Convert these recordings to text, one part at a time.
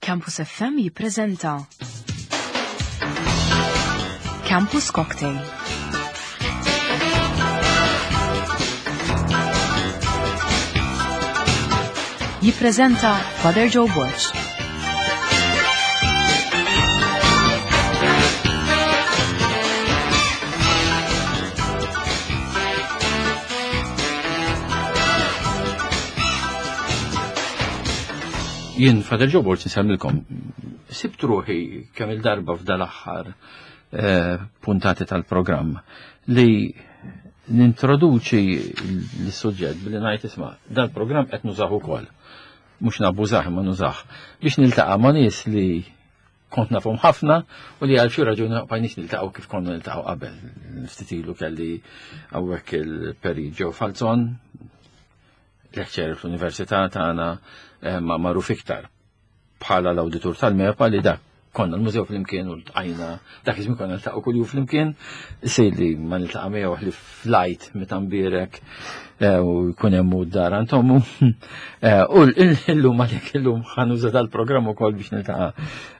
Campus FM jippreżenta Campus Cocktail. Jippreżenta Father Joe Borg. Jien Father Joe Borg nsemmilkom. Sibt ruħi kemm il-darba f'dal-aħħar eh, puntati tal-programm li nintroduċi l-suġġett billi ngħid isma' dal-programm qed nużah ukoll. Mhux nabbużah imma nużah biex niltaqa' ma' nies li kont nafhom ħafna u li għal xi raġuni ma bqajniex niltaqgħu kif konna niltaqgħu qabel. Ftit ilu kelli hawnhekk il-Peri Joe Falzon, lecturer fl-Università tagħna eh, ma magħruf iktar bħala l-awditur tal-MEPA li dak konna l-mużew flimkien u l-tqajna dak iż-żmien konna niltaqgħu kuljum flimkien, isir li ma niltaqa' miegħu li flajt meta mbierek eh, u jkun hemm u d-dar għand ommu. Eh, u llum għalhekk illum ħanuża dal-programm ukoll biex niltaqa'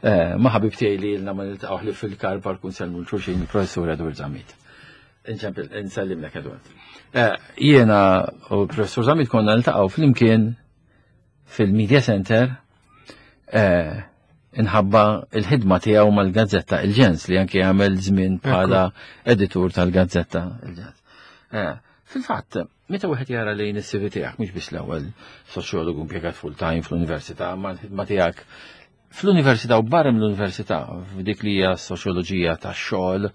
eh, ma' ħabib tiegħi li ilna ma niltaqgħu ħlief fil-kar par kun selmu l-xulxin il-professur Edward Zammit. Nsellimlek Edward. Jiena u l-professur Zammit konna niltaqgħu flimkien fil-Media Center eh, inħabba il-ħidma tiegħu mal-gazzetta Il-Ġens li anki għamel żmien bħala editur tal-gazzetta Il-Ġens. Eh, fil-fatt, meta wieħed jara lejn is-CV tiegħek mhux biss l-ewwel soċjologu impjegat full-time fl-università, ma l-ħidma tiegħek fl-università u barra mill-università f'dik li hija soċjoloġija tax-xogħol,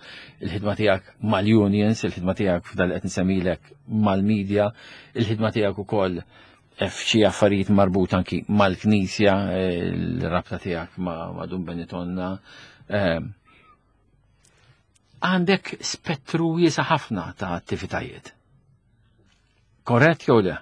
il-ħidma tiegħek mal-unions, il-ħidma tiegħek f'dal qed nsemmilek mal-media, il-ħidma tiegħek ukoll f'xi affarijiet marbut anki mal-Knisja, il-rabta tiegħek ma' Dun Benitonna. Ehm, għandek spettru wiesa ħafna ta' attivitajiet. Korrett jew le?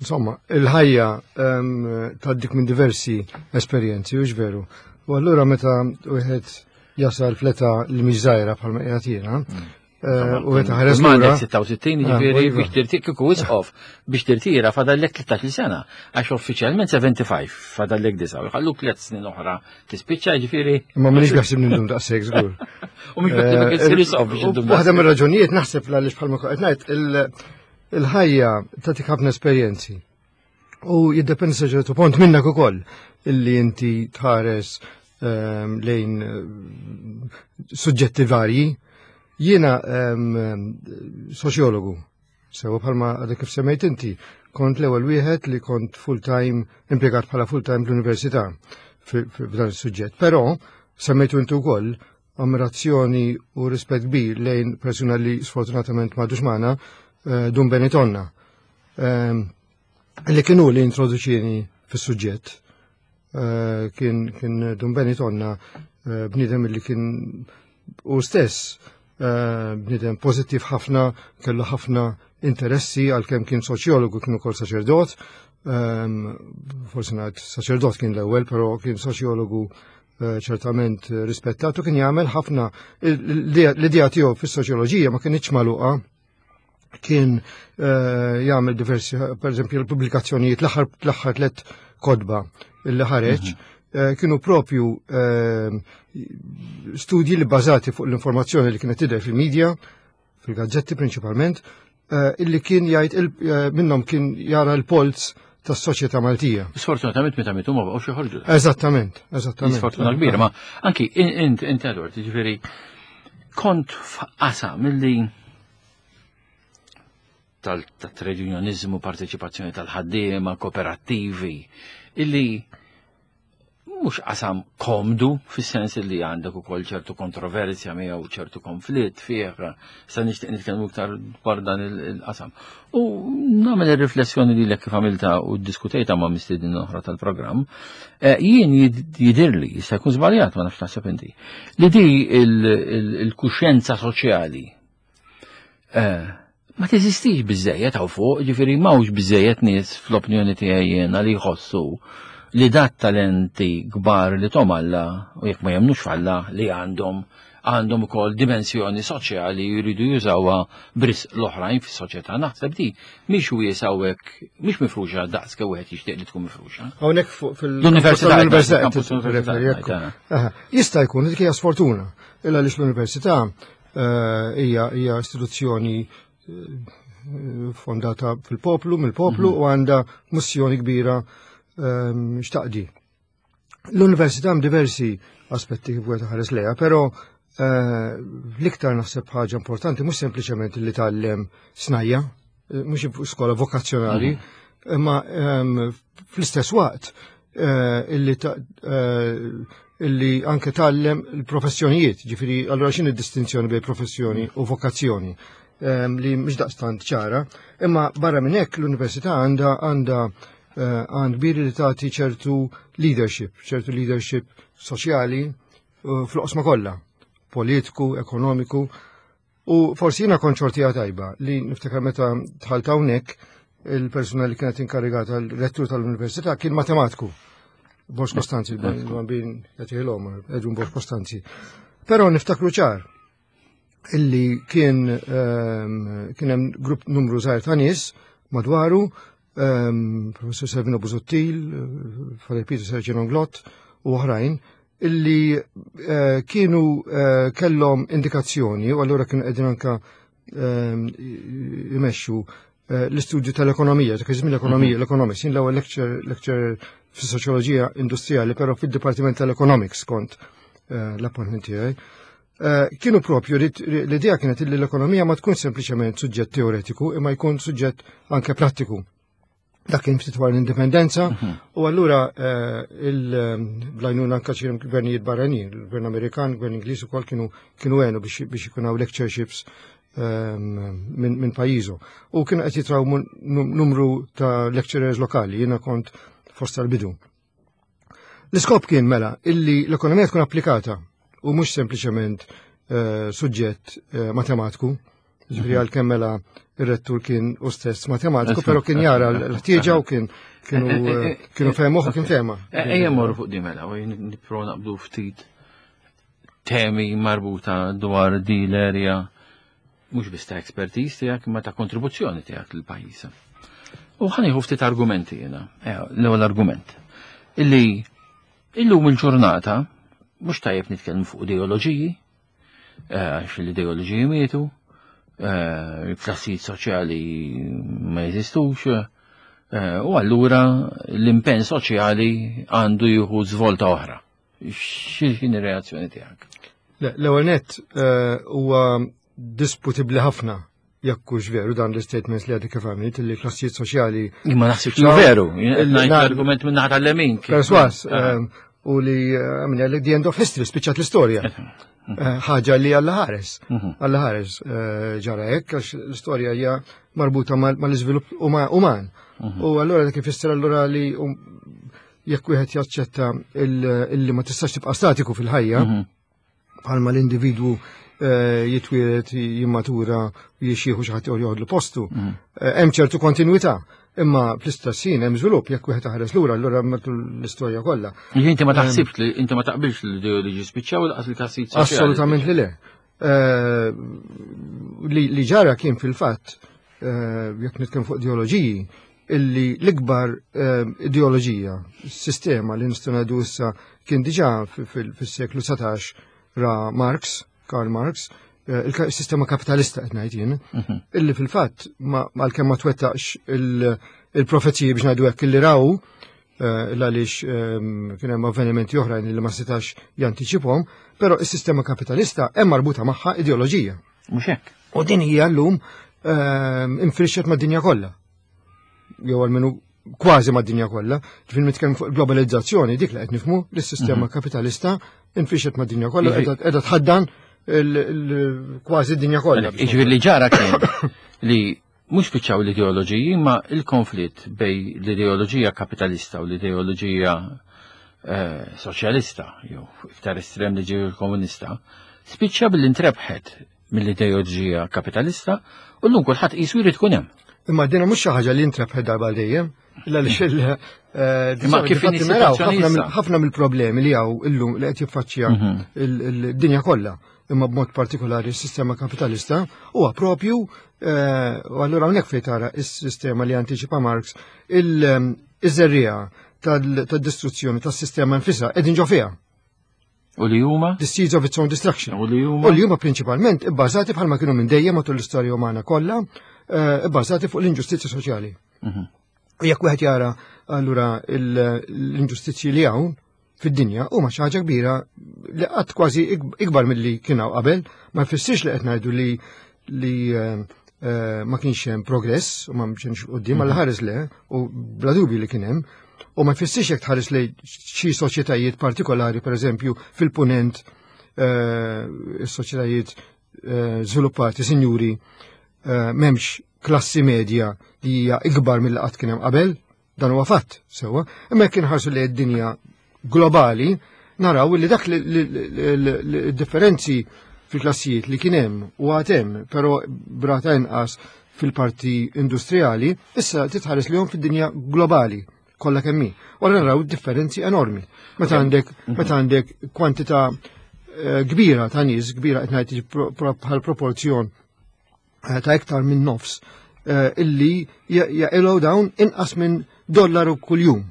Insomma, il-ħajja ehm, tgħaddik minn diversi esperjenzi, u veru. U allura meta wieħed jasal fleta li mhix żgħira bħalma qiegħed jiena, mm. Eh, u għet ħares lura. 66 ah, ġifieri iva. biex tirtira kieku isqof biex tirtira fadallek 13 sena għax uffiċjalment 75 fadallek disa' u jħalluk tliet snin oħra tispiċċa ġifieri. Ma minix naħseb nindum daqshekk żgur. U mhux beħsibek eh, issir isqof biex indum. Waħda mir-raġunijiet naħseb għaliex bħalma qed ngħid il-ħajja tagħtik ħafna esperjenzi. U jiddependi sa ċertu punt minnek ukoll illi inti tħares ehm, lejn eh, suġġetti varji. Jiena ehm, soċjologu, sewa bħalma għadek kif semmejt inti, kont l-ewwel wieħed li kont full-time impjegat bħala full-time fl-università f'dan is-suġġett. Però semmejtu inti wkoll ammirazzjoni u rispett kbir lejn persuna li sfortunatament m'għadux magħna, eh, Dun Benitonna. Ehm, li kienu li introduċini fis-suġġett. Eh, kien kien Dun Benitonna eh, bniedem li kien u stess bniedem pożittiv ħafna, kellu ħafna interessi għalkemm kien soċjologu kien ukoll saċerdot, ehm, forsi ngħid saċerdot kien l-ewwel, però kien soċjologu Eh, ċertament rispettatu kien jagħmel ħafna l-idea tiegħu fis-soċjoloġija ma kienx magħluqa kien eh, jagħmel diversi pereżempju l-pubblikazzjonijiet l-aħħar tliet kodba li ħareġ mhm. eh, kienu propju studji li bażati fuq l-informazzjoni li kienet tidher fil-medja fil-gazzetti prinċipalment, eh, illi kien jgħid eh, minnhom kien jara l-polz tas-soċjetà Maltija. Sfortunatament meta mitu ma baqgħux joħorġu. Eżattament, eżattament. Sfortuna kbira, ma anki int int Edward, jiġifieri kont f'qasam milli tal-trade unionizmu, parteċipazzjoni tal-ħaddiema, kooperattivi, illi mhux qasam komdu fis-sens li għandek ukoll ċertu kontroversja miegħu ċertu konflitt fih, sa nixtieq nitkellmu iktar dwar dan il-qasam. U nagħmel ir-riflessjoni lilek kif għamilta u ddiskutejta ma' mistiednin oħra tal-programm, eh, jien jidirli, jista' jkun żbaljat ma nafx taħseb inti, li di il-kuxjenza soċjali Eh, ma teżistix biżejjed hawn fuq, ġifieri m'hawnx biżejjed nies fl-opinjoni tiegħi jiena li jħossu li dat talenti kbar li tom Alla u jekk ma jemnux f'Alla li għandhom. għandhom ukoll dimensjoni soċjali jridu jużawha b'risq l-oħrajn fis-soċjetà. Naħseb di mhix wiesa hawnhekk, mhix mifruxa daqs kemm wieħed jixtieq li tkun mifruxa. Hawnhekk fuq fil-università. L-università. Jista' jkun dik hija sfortuna, illa għaliex l-università eh, hija hija istituzzjoni eh, fondata fil-poplu, mill-poplu mhm. u għandha missjoni kbira ehm, xtaqdi. L-università hemm diversi aspetti kif wieħed ħares lejha, però eh, l-iktar naħseb ħaġa importanti mhux sempliċement li tgħallem snajja, eh, mhux skola vokazzjonali, mhm. imma ehm, fl-istess waqt eh, illi illi anke tgħallem il-professjonijiet, ġifieri allura x'inhi d-distinzjoni bejn professjoni u vokazzjoni ehm, li mhux daqstant ċara, imma barra minn hekk l-università għandha għandha Eh, għand kbir li tagħti ċertu leadership, ċertu leadership soċjali eh, fl-oqsma kollha, politiku, ekonomiku. U forsi jiena kont xortija tajba li niftakar meta dħalt hawnhekk il-persuna li kienet inkarigata l-rettur tal-università kien matematiku. Borx Kostanzi, il-bambin jagħtihilhom, Edwin Borx Kostanzi. Però niftakru ċar illi kien ehm, kien hemm grupp numru żgħir ta' nies madwaru, ehm, Professor Servino Busuttil, Father Peter Sergio Glott u oħrajn, illi eh, kienu eh, kellhom indikazzjoni u allura kienu qegħdin anka ehm, imexxu eh, l-istudju tal-ekonomija, dak iż-żmien l-ekonomija, mhm. l-economics, jien l-ewwel lecture lecture fis-soċjoloġija industrijali, però fid-Dipartiment tal-Economics kont l-appointment tiegħi. Eh, kienu propju l-idea kienet li l-ekonomija ma tkun sempliċement suġġett teoretiku imma jkun suġġett anke prattiku. Dak kien ftit wara l-indipendenza mhm. u allura eh, il-blajnuna anke xi gvernijiet barranin, il-gvern Amerikan, il-gvern Ingliż ukoll kienu kienu għenu biex ikun hawn lectureships ehm, minn pajjiżu. U kienu qed jitraw numru ta' lecturers lokali, jiena kont fost tal-bidu. L-iskop kien mela illi l-ekonomija tkun applikata u mhux sempliċement eh, suġġett eh, matematiku. Ġifieri mhm. għalkemm mela ir-rettur kien u stess matematiku, però kien jara l-ħtieġa u kien kienu eh, kienu fehmuh u kien fehma. Ejja morru fuq di mela u nipprova naqbdu ftit temi marbuta dwar di l-erja mhux biss ta' expertise tiegħek imma ta' kontribuzzjoni tiegħek lill-pajjiż. U ħa ftit argumenti jiena. Eh, l-ewwel argument. Illi illum il-ġurnata mhux tajjeb nitkellmu fuq ideoloġiji, eh, għax l-ideoloġiji mietu, eh, il-klassijiet soċjali ma jeżistux, u allura l-impenn soċjali għandu jieħu żvolta oħra. X'inhi reazzjoni tiegħek? L-ewwel nett eh, huwa disputibbli ħafna jekk hux veru dan l-statements li għadek kif għamilt li klassijiet soċjali. Imma naħsibx li veru, argument minn naħa tal-lemin. Perswas, ah. eh, u li eh, għamilja li the end of history, spiċċat l-istorja. Ħaġa li għalla ħares, mhm. għalla ħares ġara hekk għax l-istorja hija marbuta mal-iżvilupp uman. Mhm. U allura dak ifisser allura li um, jekk wieħed jaċċetta illi ma tistax tibqa' statiku fil-ħajja, mhm. bħalma l-individwu eh, jitwieled jimmatura jixieħu xi ħadd joħodlu postu. Mhm. Eh, hemm ċertu kontinwità, imma fl-istess ħin hemm żvilupp jekk wieħed ħares lura allura matul l-istorja kollha. Inti ma taħsibx li inti ma taqbilx li l-ideoloġi spiċċaw laqas il-klassijiet soċjali. Assolutament li le. Eh, li ġara kien fil-fatt jekk nitkellem fuq ideoloġiji, illi l-ikbar eh, ideoloġija, sistema li nistgħu ngħidu issa kien diġà fis-seklu 19 ra Marx, Karl Marx, eh, il-sistema kapitalista qed ngħid jien, mhm. illi fil-fatt għalkemm ma twettaqx il-profeziji biex ngħidu hekk illi raw eh, għaliex ehm, kien hemm avvenimenti oħrajn li ma setax jantiċiphom, però is-sistema kapitalista hemm marbuta magħha ideoloġija. Mhux hekk. U din hija llum ehm, infrixxet mad-dinja kollha. Jew għalmenu kważi mad-dinja kollha. Ġifieri nitkellem fuq globalizzazzjoni dik li qed nifhmu li s-sistema mhm. kapitalista infrixxet mad-dinja kollha qiegħda tħaddan kważi d-dinja kollha. Jiġifieri li ġara kien li mhux spiċċaw l-ideoloġiji imma il-konflitt bej l-ideoloġija kapitalista u l-ideoloġija eh, soċjalista, jew iktar estrem li ġew komunista, spiċċa billi ntrebħet mill-ideoloġija kapitalista u llum kulħadd qisu jrid tkun hemm. Imma dina mhux xi ħaġa li ntrebħet darba dejjem, illa li xil eh, Imma kif ħafna mill-problemi li hawn illum li qed jiffaċċja mhm. il-dinja kollha. imma b'mod partikolari s-sistema kapitalista, huwa propju eh, u allura hawnhekk fejn tara s-sistema li antiċipa Marx il-żerriegħa tad-distruzzjoni tas-sistema nfisha qegħdin ġo fiha. U li huma? The seeds of its own destruction. U li huma? U li huma prinċipalment ibbażati bħalma kienu minn dejjem matul l-istorja umana kollha, eh, ibbażati fuq l-inġustizzja soċjali. U jekk wieħed jara allura l-inġustizzji li hawn fid-dinja huma xi ħaġa kbira li qatt kważi ikbar milli kien hawn qabel, ma jfissirx li qed ngħidu li li eh, eh, ma kienx hemm progress u ma kienx quddiem għal ħares le u bla dubju li kien hemm. U ma jfissirx jekk tħares li xi soċjetajiet partikolari, pereżempju fil-punent eh, is-soċjetajiet żviluppati, sinjuri, m'hemmx klassi medja li hija ikbar mill qatt kien hemm qabel, dan huwa fatt sewwa, imma jekk inħarsu li d-dinja globali, naraw li dak li differenzi fil-klassijiet li kien hemm u għad hemm, però brata inqas fil-parti industrijali, issa titħares li fid-dinja globali kollha kemm hi. U naraw differenzi enormi. Meta għandek meta għandek kwantità eh, kbira ta' nies, kbira qed ngħid bħal proporzjon eh, ta' iktar minn nofs eh, illi jaqilgħu dawn inqas minn dollaru kuljum.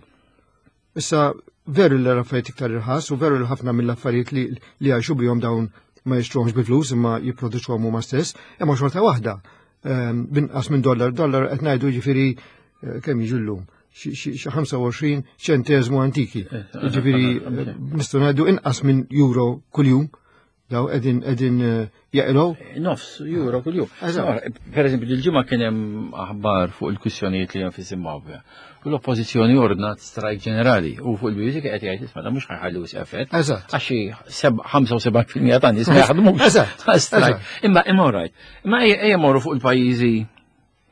Issa veru li l-affarijiet iktar irħas u veru li ħafna mill-affarijiet li li jgħixu bihom dawn ma jixtruhomx bi flus imma jipproduċuhom huma stess, imma xorta waħda binqas minn dollar, dollar qed ngħidu ġifieri kemm jiġu llum xi 25 ċenteżmu antiki. Eh, ġifieri eh, nistgħu ngħidu inqas minn euro kuljum daw qegħdin qegħdin jaqilgħu. Nofs euro kuljum. Per eżempju, il-ġimgħa kien hemm aħbar fuq il-kwistjonijiet li hemm fi Zimbabwe. U l-oppożizzjoni ordnat strajk ġenerali u fuq il-BBC qed jgħid isma' mhux ħa jħallu effett. Eżatt. Għax 75% ta' nies ma jaħdmux. Eżatt. Imma imma right. Imma ejja morru fuq il-pajjiżi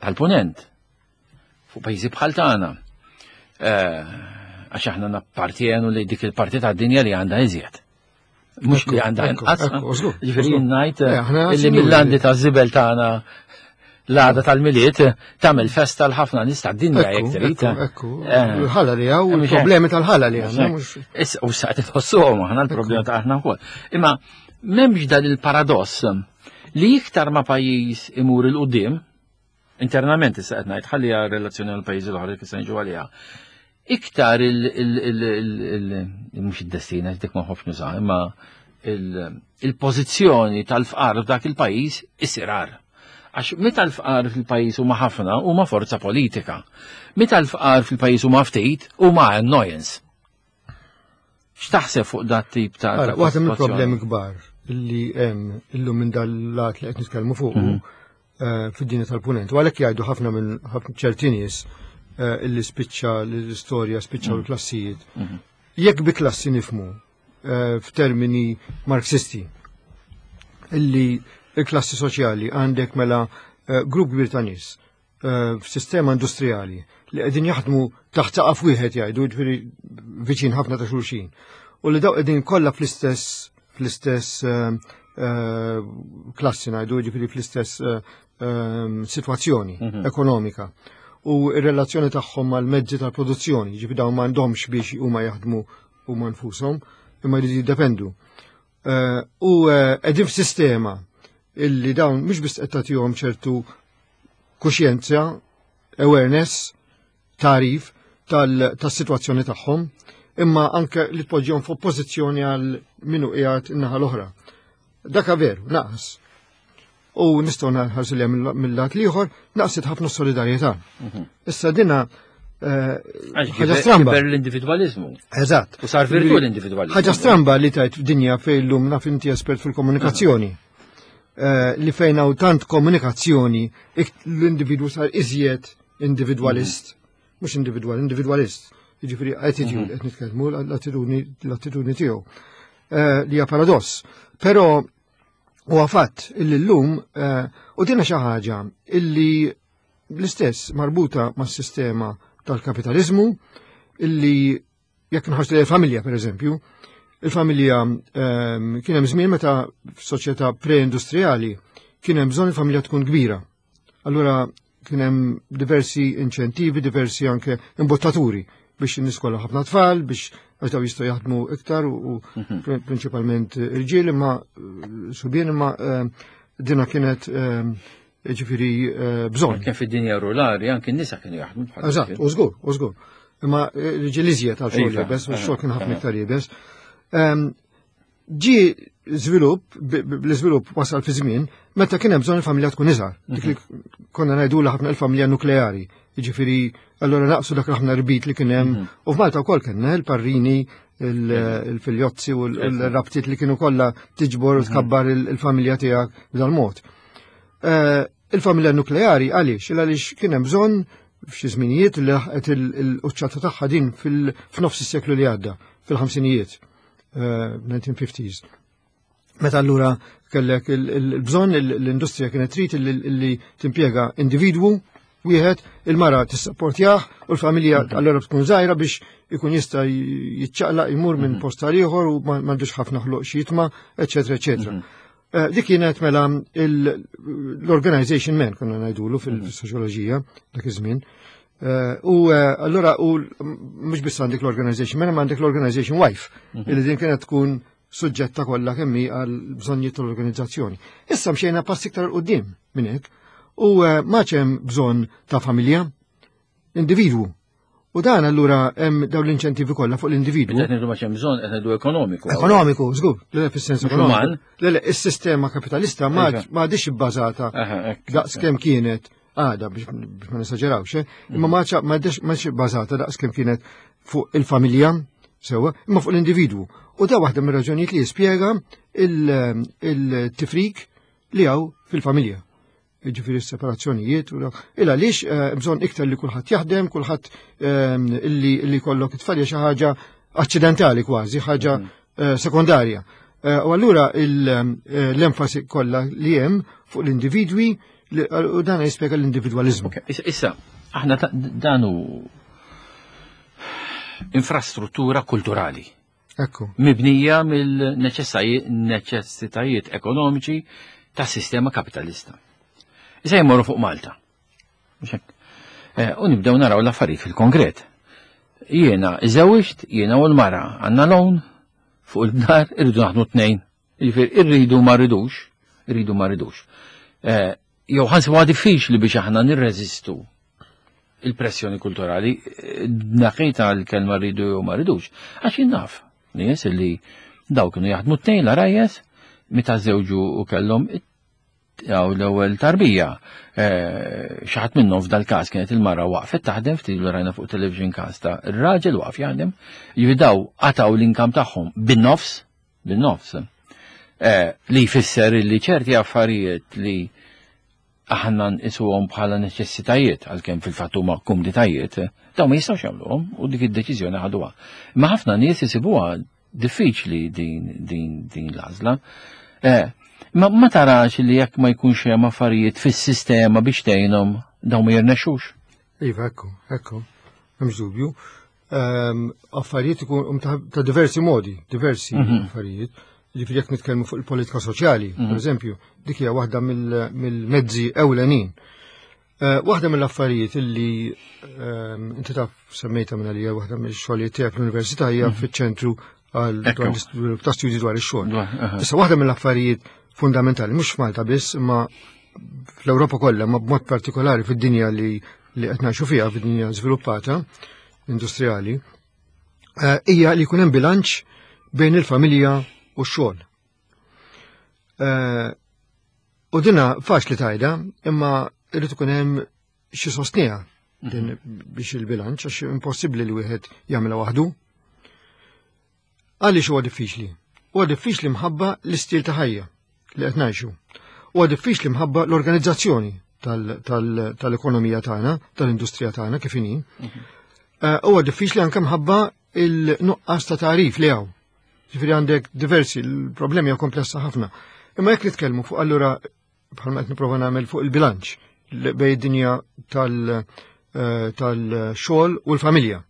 tal-punent. Fuq pajjiżi bħal tagħna. Eh, għax aħna nappartienu li dik il-parti tad-dinja li għandha iżjed. Mhux li għandha inqas. Ġifieri ngħid eh, illi mill-landi ta' żibel tagħna l-għada tal-Milied tagħmel festa l-ħafna nies tad-dinja jekk trid. Ekku, eh. il-ħala li hawn, il-problemi tal-ħala li għandna. U sa qed tħossuhom aħna l-problema ta' aħna wkoll. Imma m'hemmx dan il-paradoss li iktar ma pajjiż imur 'il quddiem internament issa qed ngħid ħalli relazzjoni għal pajjiżi l-oħra kif se niġu għaliha. Iktar il mhux id-destin għax dik ma nħobbx nuża, imma il-pożizzjoni tal-fqar f'dak il-pajjiż isir agħar. Għax meta l-fqar fil-pajjiż huma ħafna huma forza politika. Meta l-fqar fil-pajjiż huma ftit huma annoyance. X'taħseb fuq dat tip ta' Waħda mill-problemi kbar li hemm illum minn dal-lat li qed nitkellmu fuq eh, fid-dinja tal-punent. U għalhekk jgħidu ħafna minn ħafna ċerti nies eh, illi spiċċa l-istorja, spiċċaw il-klassijiet. Jekk bi klassi nifhmu eh, f'termini marxisti illi il-klassi soċjali għandek mela grupp kbir ta' nies f'sistema industrijali li qegħdin jaħdmu taħt saqaf wieħed jgħidu ġifieri viċin ħafna ta' xulxin. U li daw qegħdin kollha fl-istess fl-istess klassi ngħidu ġifieri fl-istess sitwazzjoni ekonomika. U r-relazzjoni tagħhom mal-mezzi tal-produzzjoni, ġifieri dawn m'għandhomx biex huma jaħdmu huma nfushom, imma jridu jiddependu. U qegħdin f'sistema illi dawn mhux biss qed tagħtihom ċertu kuxjenza, awareness, tarif tas-sitwazzjoni tagħhom, imma anke li tpoġġihom f'oppożizzjoni għal minu qiegħed in-naħa l-oħra. Dak veru, naqas. U nistgħu nħarsu li mill-lat l-ieħor naqset ħafna solidarjetà. Issa dina eh, ħaġa stramba. l-individualizmu. Eżatt. U sar virtu l-individualizmu. Ħaġa stramba li tajt f'dinja fejn llum naf inti espert fil-komunikazzjoni. Eh, li fejn hawn tant komunikazzjoni l-individwu sar iżjed individualist, mhux individual, individualist. Jiġifieri attitude qed nitkellmu l-attitudni tiegħu. Eh, li hija paradoss. Però huwa fatt illi llum eh, u dina xi ħaġa illi l-istess marbuta mas-sistema tal-kapitalizmu illi jekk nħarsu lejn il-familja per eżempju, il-familja kien hemm żmien meta f'soċjetà pre-industrijali kien hemm bżonn il-familja tkun kbira. Allura kien hemm diversi inċentivi, diversi anke imbottaturi. biex in-nies kollha ħafna tfal, biex għax daw jistgħu jaħdmu iktar u prinċipalment irġiel imma subien imma dina kienet ġifieri bżonn. Kien fid-dinja rurali anke n-nisa kienu jaħdmu bħal. Eżatt, u żgur, u żgur. Imma irġiel iżjed għal xogħol iebes, u x-xogħol kien ħafna iktar iebes. Ġi żvilupp, l-iżvilupp wasal fi żmien meta kien hemm bżonn il-familja tkun iżgħar. Dik li konna ngħidulha ħafna il-familja nukleari. Jiġifieri allura naqsu dak ħafna rbit li kien hemm. U f'Malta wkoll kellna il-parrini, il-filjozzi u l-rabtiet li kienu kollha tiġbor u tkabbar il-familja tiegħek b'dal-mod. Il-familja nukleari għaliex? Għaliex kien hemm bżonn f'xi żminijiet li laħqet il-quċċata tagħha din f'nofs is-seklu li għadda, fil-ħamsinijiet. 1950s. Eh, Meta allura kellek il-bżonn l-industrija kienet trid li timpjega individwu wieħed il-mara tissapportjah u l-familja mhm. allura tkun żgħira biex ikun jista' jiċċaqlaq imur minn mhm. post għal ieħor u m'għandux ħafna ħloq xi jitma, eċetera, eċetera. Mhm. Eh, dik kienet mela l-organization man konna ngħidulu fil-soċjoloġija dak iż-żmien. Eh, u eh, allura u mhux biss għandek l-organization man, ma għandek l-organization wife, mhm. illi din kienet tkun suġġetta kollha kemm hi għal bżonnijiet tal-organizzazzjoni. Issa mxejna pass iktar qudiem minn hekk u eh, ma hemm bżonn ta' familja, individwu. U dan allura hemm dawn l-inċentivi kollha fuq l-individwu. Qed ngħidu ma hemm bżonn qed ngħidu ekonomiku. Ekonomiku, żgur, le fis-sens ekonomiku. Le le, is-sistema kapitalista ma għadix ibbażata daqs kemm kienet għada biex ma nesaġerawx, eh? imma ma m'għadix bbażata daqs kemm kienet fuq il-familja sewwa, imma fuq l-individwu. U da waħda mir-raġunijiet li jispjega il-tifrik li hawn fil-familja. Ġifieri s-separazzjonijiet u il għaliex eh, bżonn iktar li kulħadd jaħdem, kulħadd eh, illi kollok it-tfal xi ħaġa aċċidentali kważi, ħaġa mm. sekondarja. U allura l-enfasi kollha li hemm fuq l-individwi u dan jispjega l-individwaliżmu. Issa, aħna dan hu infrastruttura kulturali. Ekku. Mibnija mill-neċessitajiet ekonomiċi tas sistema kapitalista. Issa jmorru fuq Malta. Eh, u nibdew naraw l-affarijiet fil-konkret. Jiena iżewġt, jiena u l-mara għandna loan fuq il-dar irridu naħdmu tnejn. Jiġifieri irridu ma rridux, irridu ma rridux. Eh, jew ħansibuha diffiċli biex aħna nirreżistu il-pressjoni kulturali, eh, naqita l-kelma rridu jew ma rridux. Għax jien naf, nies li daw kienu jaħdmu tnejn l-arajjes, meta żewġu u kellhom jew l-ewwel tarbija. Eh, xi ħadd minnhom f'dal-każ kienet il-mara waqfet taħdem ftit li rajna fuq television każ ta' ir-raġel waqf jaħdem, jividaw qataw l-inkam tagħhom bin-nofs, bin-nofs. Eh, li jfisser li ċerti affarijiet li aħna nqisuhom bħala neċessitajiet għalkemm fil-fatt huma kumditajiet, dawn ma jistgħux jagħmluhom u dik id-deċiżjoni ħaduha. Imma ħafna nies isibuha Diffiċli din din din l-għażla. Eh, ma, ma tarax li jekk ma jkunx hemm affarijiet fis-sistema biex tgħinhom dawn ma jirnexxux. Iva, ekku, ekku, hemmx dubju. Ehm, affarijiet ikun um, ta' diversi modi, diversi mhm. affarijiet. Ġifieri jekk nitkellmu fuq il-politika soċjali, per mhm. eżempju, dik hija waħda mill-mezzi ewlenin Eh, waħda mill-affarijiet illi ehm, inti taf semmejta minn għalija waħda mill-xogħlijiet tiegħek fl-università hija mhm. fiċ-ċentru għal ta' studji dwar ix-xogħol. Issa waħda mill-affarijiet fundamentali mhux f'Malta biss, imma fl-Ewropa kollha, ma b'mod partikolari fid-dinja li li qed ngħixu fiha fid-dinja żviluppata industrijali, eh, hija li jkun hemm bilanċ bejn il-familja u x-xogħol. Eh, u dina faċli tajda, imma irrid ikun hemm xi sostnija din mhm. biex il-bilanċ għax impossibbli li wieħed jagħmilha waħdu. Għaliex huwa diffiċli? Huwa diffiċli mħabba l-istil ta' ħajja li qed ngħixu. Huwa diffiċli mħabba l-organizzazzjoni tal-ekonomija tagħna, tal-industrija tagħna kif inhi. Mhm. Eh, huwa diffiċli anke mħabba il-nuqqas ta' tarif li hawn. Ġifieri għandek diversi, l-problemi hija komplessa ħafna. Imma jekk nitkellmu fuq allura bħalma qed nipprova nagħmel fuq il-bilanċ bejn id-dinja eh, tal-xogħol u l-familja.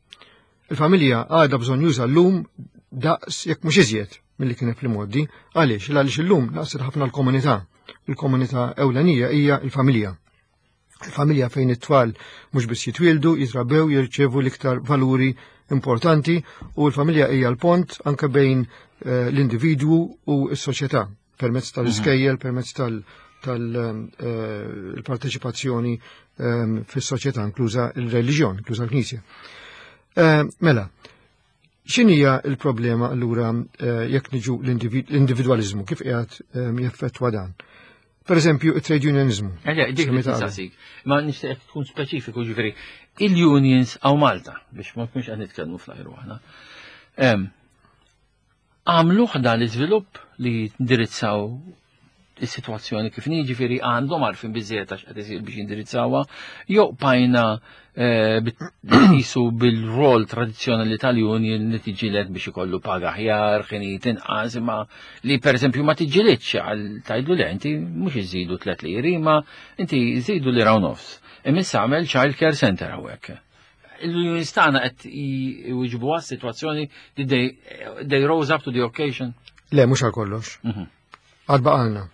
Il-familja għadha bżonn juża llum daqs jekk mhux iżjed milli kienet fl-imgħoddi. Għaliex? Għaliex illum naqset ħafna l-komunità. Il-komunità ewlenija hija l-familja. Il-familja fejn it-tfal mhux biss jitwieldu, jitrabbew, jirċevu l-iktar valuri importanti u l-familja hija l-pont anke bejn eh, l-individwu u s-soċjetà permezz tal-iskejjel, permezz tal-parteċipazzjoni eh, ehm, fis-soċjetà inkluża il-reliġjon, inkluża l-Knisja. Eh, mela, x'inhija l-problema allura jekk niġu l-individwaliżmu kif qiegħed ehm, jeffettwa dan? Per eżempju, il-trade unionizmu. Eħe, dik li tistaqsik. Ma nixtieq tkun speċifiku ġifieri. Il-unions għaw Malta, biex ma nkunx qed nitkellmu fl-ajru aħna. Għamluh dan l-iżvilupp li jindirizzaw is-sitwazzjoni kif inhi, ġifieri għandhom għarfien biżejjed għax qed isir biex jindirizzawha, jew bqajna qisu bil-rol tradizzjonali tal-union li tiġġieled biex ikollu paga aħjar, ħinijiet inqas, imma li pereżempju ma tiġġielidx għal tgħidlu le inti mhux iżidu tliet liri, imma inti żidu lira u nofs. Imma issa għamel child care center hawnhekk. Il-unions tagħna qed jwiġbu għas-sitwazzjoni li they rose up to the occasion. Le, mhux għal kollox. Għad baqalna.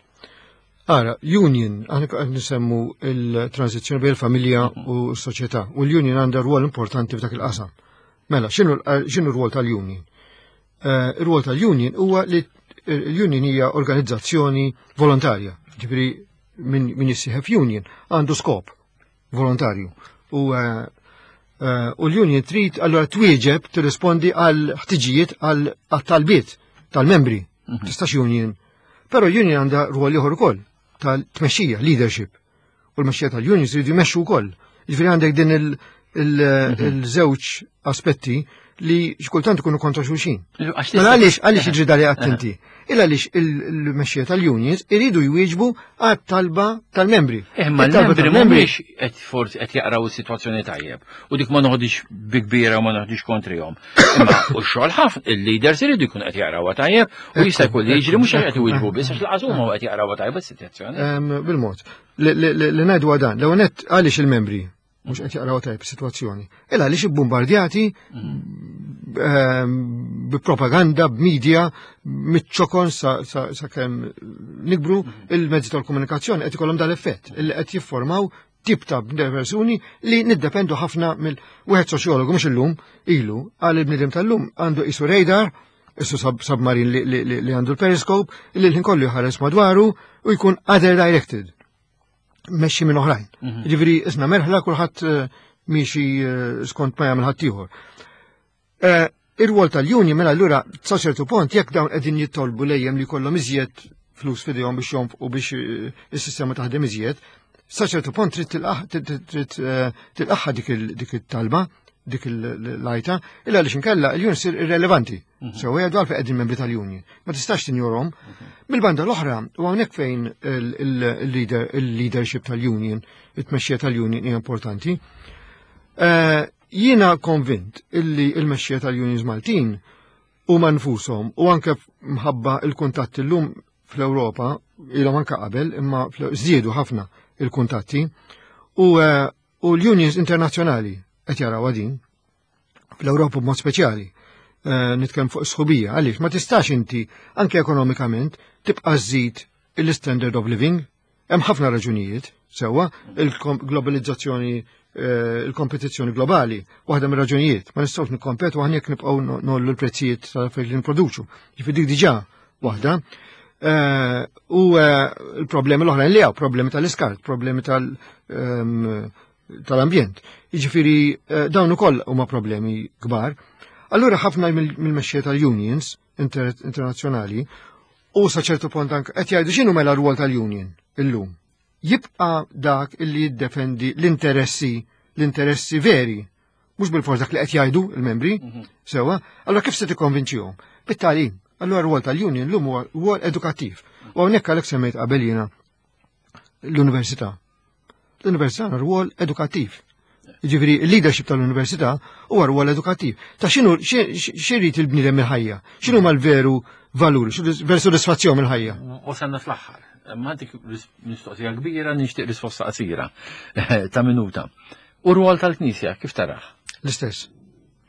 Ara, union, aħna qed nisemmu il-transizzjoni bejn il-familja u s-soċjetà, u l-union għandha rwol importanti f'dak il-qasam. Mela, x'inhu r-rwol tal-union? Eh, ir-rwol tal-union huwa li l-union hija organizzazzjoni volontarja, ġifieri min jissieħeb union għandu skop volontarju. U eh, eh, u l-union trid allura twieġeb tirrispondi għal ħtiġijiet għal talbiet tal-membri. Mhm. Tistax union. Però union għandha rwol ieħor ukoll tal-tmexxija, leadership. U l-mexxija tal-unions jridu jmexxu wkoll. Jiġifieri għandek din mhm. il-żewġ aspetti li xkultant ikunu kontra xulxin. Mela għaliex għaliex jiġri dali attenti? Il għaliex il-mexxija tal-unions iridu jwieġbu għat-talba tal-membri. Eh, ma l-membri mhumiex qed forsi qed jaqraw is-sitwazzjoni tajjeb u dik ma noħodix bi kbira u ma noħodix kontrihom. Imma u x-xogħol ħafna il-leaders iridu jkunu qed jaqrawha tajjeb u jista' jkun li jiġri mhux qed iwieġbu biss għax laqas huma qed jaqrawha tajjeb is-sitwazzjoni. Bil-mod. Li ngħidu dan, l-ewwel għaliex il-membri mhux qed jaqraw tajb is-sitwazzjoni. Il għaliex ibbombardjati ehm, bi propaganda, b'media, miċ-ċokon sa kemm nikbru il-mezzi tal-komunikazzjoni qed ikollhom dal-effett illi qed jiffurmaw tip ta' persuni li niddependu ħafna mill wieħed soċjologu mhux illum ilu għal il-bniedem tal-lum għandu isu radar isu submarin li għandu l-periscope li l-ħin kollu jħares madwaru u jkun other directed mexxi minn oħrajn. Mhm. Ġifieri isna merħla kulħadd eh, miexi eh, skont ma jagħmel ħaddieħor. Eh, ir-rwol tal-union mela allura sa ċertu punt jekk dawn qegħdin jittolbu lejjem li jkollhom iżjed flus fidejhom biex jonfqu biex is-sistema taħdem iżjed, sa ċertu punt trid tilqaħħa dik it-talba, dik l-lajta, illa għaliex inkella l-union sir irrelevanti. Mhm. So għadu għalfejn qegħdin membri tal-union. Ma tistax tinjorhom. Mhm. Mill-banda l-oħra, u hawnhekk fejn il-leadership tal-union, it-tmexxija tal-union hija importanti. Eh, jiena konvint illi il-mexxija tal-unions Maltin huma nfushom u anke mħabba il-kuntatti llum fl-Ewropa ilhom anke qabel imma żdiedu ħafna il-kuntatti u eh, l-unions internazzjonali qed jaraw din fl-Ewropa b'mod speċjali. Eh, nitkellem fuq sħubija, għaliex ma tistax inti anke ekonomikament tibqa' żżid il-standard of living. Hemm ħafna raġunijiet, sewwa, il-globalizzazzjoni eh, il-kompetizzjoni globali, waħda mir-raġunijiet, ma nistgħux nikkompetu aħna jekk nibqgħu nollu l-prezzijiet tal-affarijiet li nipproduċu. Ġifieri dik diġà waħda. Eh, u l-problemi l-oħrajn li hawn, problemi tal-iskart, problemi tal- ehm, tal-ambjent. Jiġifieri eh, dawn ukoll huma problemi kbar. Allura ħafna mill-mexxejja tal-unions internazzjonali u sa ċertu punt anke qed jgħidu x'inhu mela r-rwol tal-union illum. Jibqa' dak illi jiddefendi l-interessi l-interessi veri mhux bil-fors dak li qed jgħidu il-membri, mhm. sewwa, allura kif se tikkonvinċihom? Bit-tagħlim. Allura r-rwol tal-union llum huwa rwol edukattiv. U hawnhekk għalhekk semmejt qabel jiena l-università. L-università għandha rwol edukattiv. Ġifieri il-leadership tal-università huwa rwol edukattiv. Ta' x'inhu x'irid il-bniedem mill-ħajja? X'inhu mal-veru valuri, veru sodisfazzjon mill-ħajja? Wasalna fl-aħħar. Ma dik mistoqsija kbira nixtieq risposta qasira ta' minuta. U rwol tal-Knisja kif taraħ? L-istess.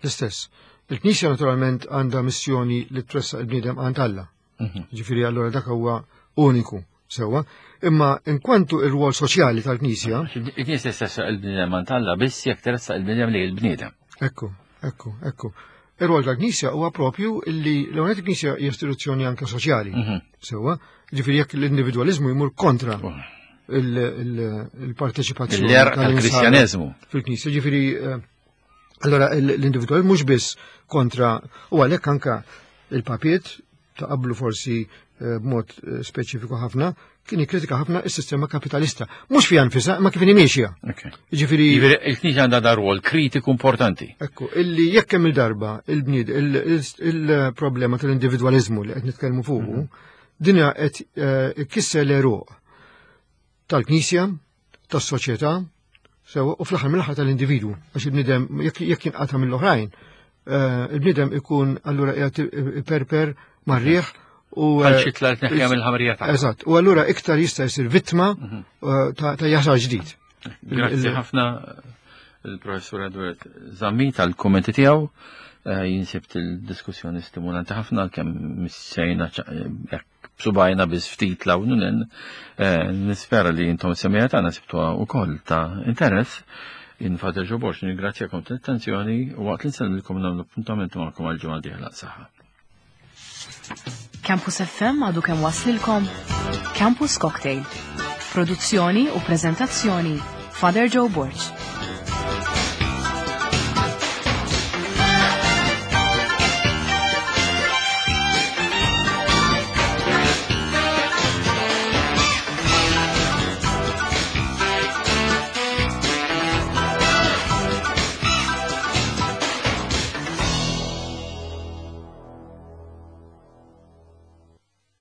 L-istess. Il-Knisja naturalment għandha missjoni li tressaq il-bniedem għand Alla. Mhm. Ġifieri allura dak huwa uniku. Sewwa, imma inkwantu ir-rwol soċjali tal-Knisja. Il-Knisja stessa il-bniedem għand Alla biss jekk teressaq il-bniedem li il-bniedem. Ekku, ekku, ekku. Ir-rwol tal-Knisja huwa propju li l-għonet il-Knisja hija istituzzjoni anke soċjali. Sewwa, ġifieri jekk l-individwaliżmu jmur kontra oh. il-parteċipazzjoni tal-Kristjaneżmu fil-Knisja, ġifieri eh, allora l-individwal mhux biss kontra u għalhekk anka il-papiet ta' qablu forsi eh, b'mod eh, speċifiku ħafna, kien jikkritika ħafna is-sistema kapitalista. Mhux fiha nfisha, ma kif miexja. Ġifieri il-Knisja għandha dar rwol kritiku importanti. Ekku, illi jekk hemm il-darba il-bnied il-problema tal-individwaliżmu li qed nitkellmu fuqu, dinja qed eh, ikkisser l-eruq tal-Knisja, tas-soċjetà, sewa u fl-aħħar mill-aħħar tal-individwu, għax il-bniedem jekk jinqata' mill-oħrajn, eh, il-bniedem ikun allura qiegħed perper marrieħ u eh, għal xi tla tneħħija mill-ħamrija tagħha. Eżatt, u allura iktar jista' jsir vittma ta' jaħsar ġdid. Grazzi ħafna il-professur Edward Zammit tal-kommenti tiegħu. Eh, jinsibt il-diskussjoni stimulanti ħafna kemm missejna eh, b'subajna biss ftit law nunen. Eh, nispera li intom semija tagħna sibtuha wkoll ta' interess. Infader ġoborx, ningrazzjakom tal-attenzjoni u waqt li nsellmilkom nagħmlu appuntament magħkom għal ġimgħa dieħla saħħa. Campus FM għadu kemm waslilkom Campus Cocktail. Produzzjoni u prezentazzjoni Father Joe Borg.